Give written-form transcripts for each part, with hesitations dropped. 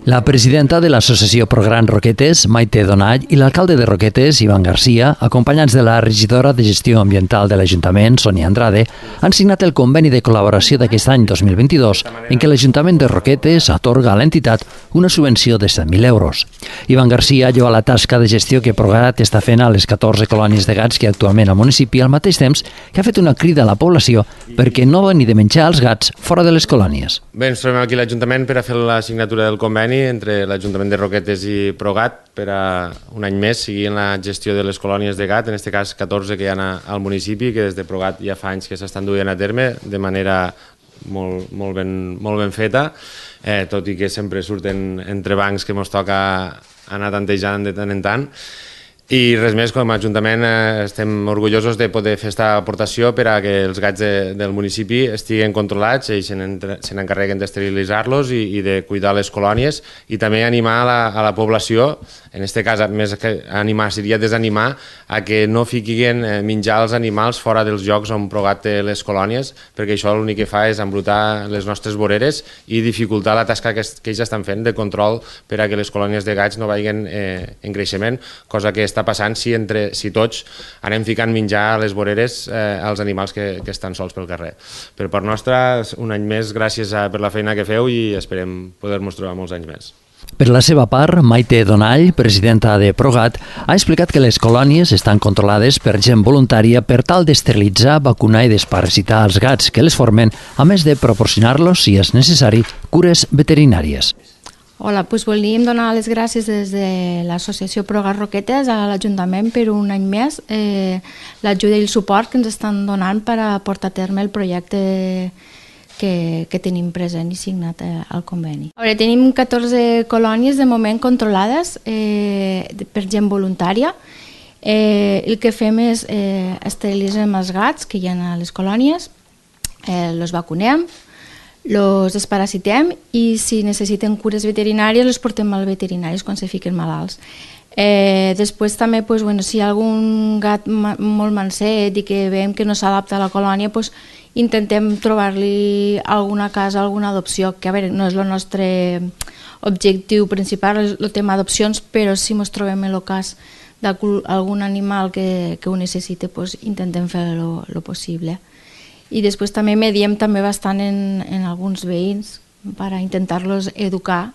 La presidenta de l'associació Progran Roquetes, Maite Donall, i l'alcalde de Roquetes, Ivan Garcia, acompanyats de la regidora de Gestió Ambiental de l'Ajuntament, Sonia Andrade, han signat el conveni de col·laboració d'aquest any 2022 en què l'Ajuntament de Roquetes atorga a l'entitat una subvenció de 100.000 euros. Ivan Garcia lloa la tasca de gestió que Prograt està fent a les 14 colònies de gats que hi ha actualment al municipi, al mateix temps que ha fet una crida a la població perquè no veni de menjar els gats fora de les colònies. Bé, ens trobem aquí a l'Ajuntament per a fer la signatura del conveni entre l'Ajuntament de Roquetes i Progat per a un any més seguir en la gestió de les colònies de gat, en aquest cas 14 que hi ha al municipi, que des de Progat ja fa anys que s'estan duent a terme de manera molt ben feta, tot i que sempre surten entrebancs que ens toca anar tantejant de tant en tant. I res més, com a Ajuntament estem orgullosos de poder fer aquesta aportació per a que els gats del municipi estiguen controlats, ells se n'encarreguen d'esterilitzar-los i de cuidar les colònies, i també animar a la població, en aquest cas més que animar seria desanimar, a que no fiquin menjar els animals fora dels llocs on Progat té les colònies, perquè això l'únic que fa és embrutar les nostres voreres i dificultar la tasca que ells estan fent de control per a que les colònies de gats no vagin en creixement, cosa que està passant si tots anem ficant menjar a les voreres als animals que estan sols pel carrer. Per part nostra, un any més, gràcies per la feina que feu i esperem poder-nos trobar molts anys més. Per la seva part, Maite Donall, presidenta de Progat, ha explicat que les colònies estan controlades per gent voluntària per tal d'esterilitzar, vacunar i desparasitar els gats que les formen, a més de proporcionar-los, si és necessari, cures veterinàries. Hola, doncs volíem donar les gràcies des de l'associació Progat Roquetes a l'Ajuntament per un any més, l'ajuda i el suport que ens estan donant per a portar a terme el projecte que tenim present i signat al conveni. Tenim 14 colònies de moment controlades per gent voluntària. El que fem és esterilitzem els gats que hi ha a les colònies, els vacunem, els desparasitem i si necessiten cures veterinàries els portem als veterinaris quan se fiquen malalts. Després també, si hi ha algun gat molt manset i que veiem que no s'adapta a la colònia, intentem trobar-li alguna casa, alguna adopció, que a veure, no és el nostre objectiu principal, el tema adopcions, però si ens trobem en el cas d'algun animal que ho necessita, intentem fer el possible. I després també mediem també bastant en alguns veïns per a intentar-los educar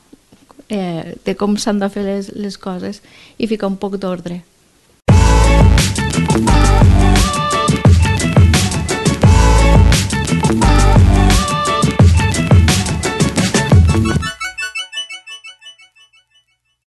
de com s'han de fer les coses i ficar un poc d'ordre.